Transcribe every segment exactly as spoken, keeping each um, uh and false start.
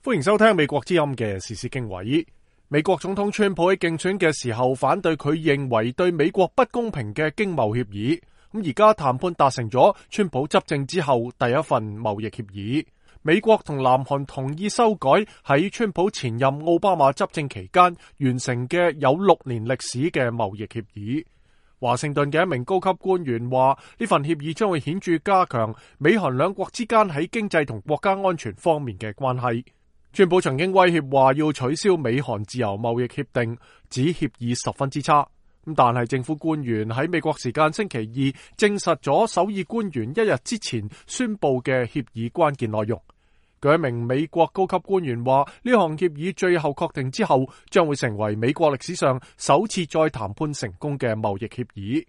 歡迎收聽美國之音嘅時事經緯。美國總統川普喺競選嘅時候反對佢認為對美國不公平嘅經貿協議，咁而家談判達成咗川普執政之後第一份貿易協議。美國同南韓同意修改喺川普前任奧巴馬執政期間完成嘅有六年歷史嘅貿易協議。華盛頓嘅一名高級官員話，呢份協議將會顯著加強美韓兩國之間喺經濟同國家安全方面嘅關係。川普曾經威脅話要取消美韓自由貿易協定，指協議十分之差。咁但係政府官員喺美國時間星期二證實咗首爾官員一日之前宣布嘅協議關鍵內容。據一名美國高級官員話，呢項協議最後確定之後，將會成為美國歷史上首次再談判成功嘅貿易協議。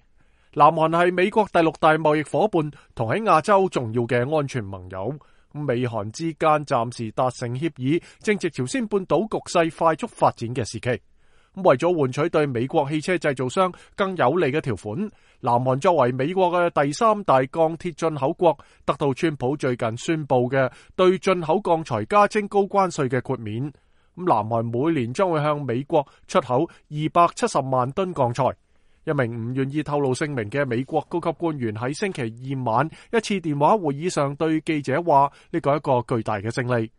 南韓係美國第六大貿易夥伴，同喺亞洲重要嘅安全盟友。美韓之間暫時達成協議，正值朝鮮半島局勢快速發展嘅時期。為咗換取對美國汽車製造商更有利嘅條款，南韓作為美國嘅第三大鋼鐵進口國，得到川普最近宣布嘅對進口鋼材加徵高關稅嘅豁免。咁南韓每年將會向美國出口二百七十萬噸鋼材。一名唔願意透露姓名嘅美國高級官員喺星期二晚一次電話會議上對記者話，呢個係一個巨大嘅勝利。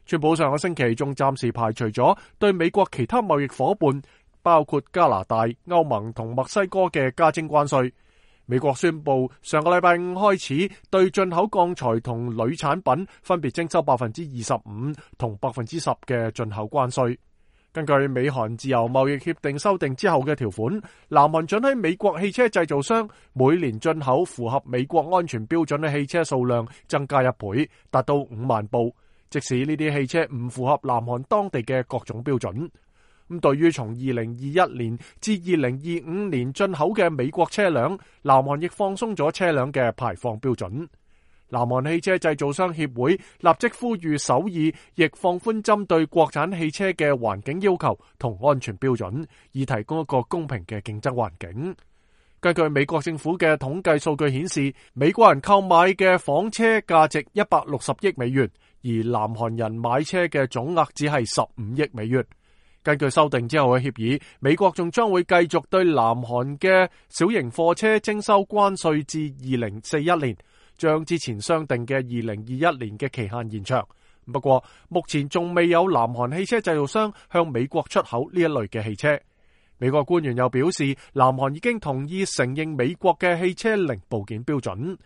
川普上個星期仲暫時排除咗對美國其他貿易夥伴，包括加拿大、歐盟同墨西哥嘅加徵關稅。美國宣布上個禮拜五開始對進口鋼材同鋁產品分別徵收百分之二十五同百分之十嘅進口關稅。根據美韓自由貿易協定修訂之後嘅條款，南韓准許美國汽車製造商每年進口符合美國安全標準嘅汽車數量增加一倍，達到五萬部，即使呢啲汽車唔符合南韓當地嘅各種標準。咁對於從二零二一年至二零二五年進口嘅美國車輛，南韓亦放鬆咗車輛嘅排放標準。南韓汽車製造商協會立即呼籲首爾亦放寬針對國產汽車嘅環境要求同安全標準，以提供一個公平嘅競爭環境。根據美國政府嘅統計數據顯示，美國人購買嘅房車價值一百六十億美元，而南韓人買車嘅總額只係十五億美元。根據修訂之後嘅協議，美國仲將會繼續對南韓嘅小型貨車徵收關稅至二零四一年。將之前商定嘅二零二一年嘅期限延長，不過目前仲未有南韓汽車製造商向美國出口呢一類嘅汽車。美國官員又表示，南韓已經同意承認美國嘅汽車零部件標準。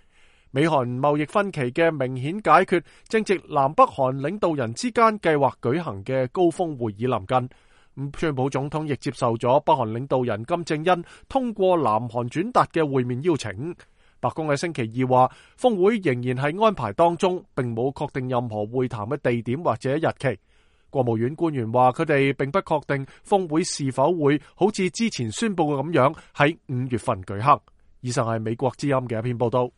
美韓貿易分歧嘅明顯解決，正值南北韓領導人之間計劃舉行嘅高峰會議臨近。咁川普總統亦接受咗北韓領導人金正恩通過南韓轉達嘅會面邀請。白宮喺星期二話，峰會仍然係安排當中，並冇確定任何會談嘅地點或者日期。國務院官員話，佢哋並不確定峰會是否會好似之前宣布嘅咁樣喺五月份舉行。以上係美國之音嘅一篇報道。